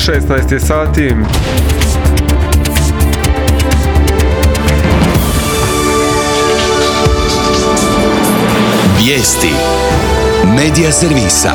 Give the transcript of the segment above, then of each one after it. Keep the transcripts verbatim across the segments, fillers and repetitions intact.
šesnaest je sati. Vijesti Medija servisa.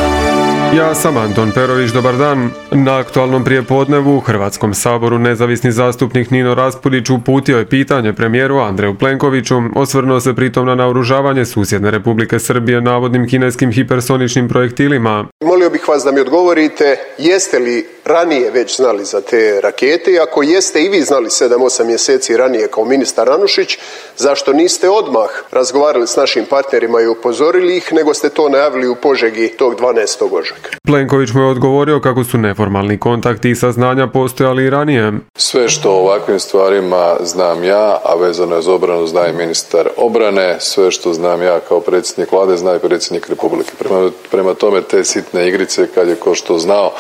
Ja sam Anton Perović, dobar dan. Na aktualnom prijepodnevu u Hrvatskom saboru nezavisni zastupnik Nino Raspudić uputio je pitanje premijeru Andreju Plenkoviću, osvrnuo se pritom na naoružavanje susjedne Republike Srbije navodnim kineskim hipersoničnim projektilima. Molio bih vas da mi odgovorite, jeste li ranije već znali za te rakete i ako jeste i vi znali sedam osam mjeseci ranije kao ministar Anušić, zašto niste odmah razgovarali s našim partnerima i upozorili ih, nego ste to najavili u Požegi tog dvanaestog ožujka? Plenković mu je odgovorio kako su neformalni kontakti i saznanja postojali i ranije. Sve što o ovakvim stvarima znam ja, a vezano je za obranu zna i ministar obrane, sve što znam ja kao predsjednik vlade zna i predsjednik Republike. Prema, prema tome te sitne igrice kad je ko što znao,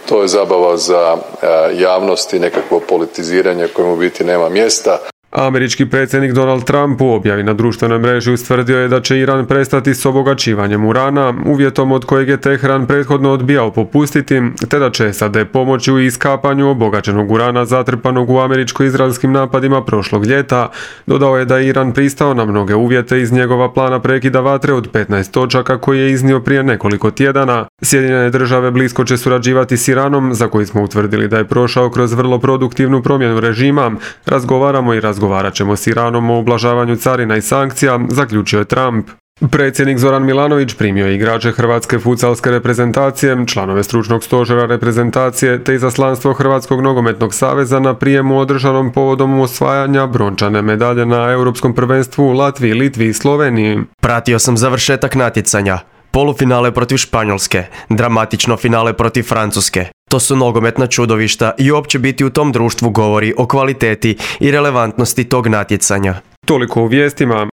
to je zabava za e, javnost i nekakvo politiziranje kojemu u biti nema mjesta. Američki predsjednik Donald Trump u objavi na društvenoj mreži ustvrdio je da će Iran prestati s obogaćivanjem urana, uvjetom od kojeg je Teheran prethodno odbijao popustiti, te da će S A D pomoći u iskapanju obogaćenog urana zatrpanog u američko-izraelskim napadima prošlog ljeta. Dodao je da je Iran pristao na mnoge uvjete iz njegova plana prekida vatre od petnaest točaka koji je iznio prije nekoliko tjedana. Sjedinjene države blisko će surađivati s Iranom, za koji smo utvrdili da je prošao kroz vrlo produktivnu promjenu režima. Razgovaramo i razgovaramo. Razgovarat ćemo s Iranom o ublažavanju carina i sankcija, zaključio je Trump. Predsjednik Zoran Milanović primio je igrače hrvatske futsalske reprezentacije, članove stručnog stožera reprezentacije te izaslanstvo Hrvatskog nogometnog saveza na prijemu održanom povodom osvajanja brončane medalje na Europskom prvenstvu u Latviji, Litvi i Sloveniji. Pratio sam završetak natjecanja. Polufinale protiv Španjolske, dramatično finale protiv Francuske. To su nogometna čudovišta i uopće biti u tom društvu govori o kvaliteti i relevantnosti tog natjecanja. Toliko u vijestima,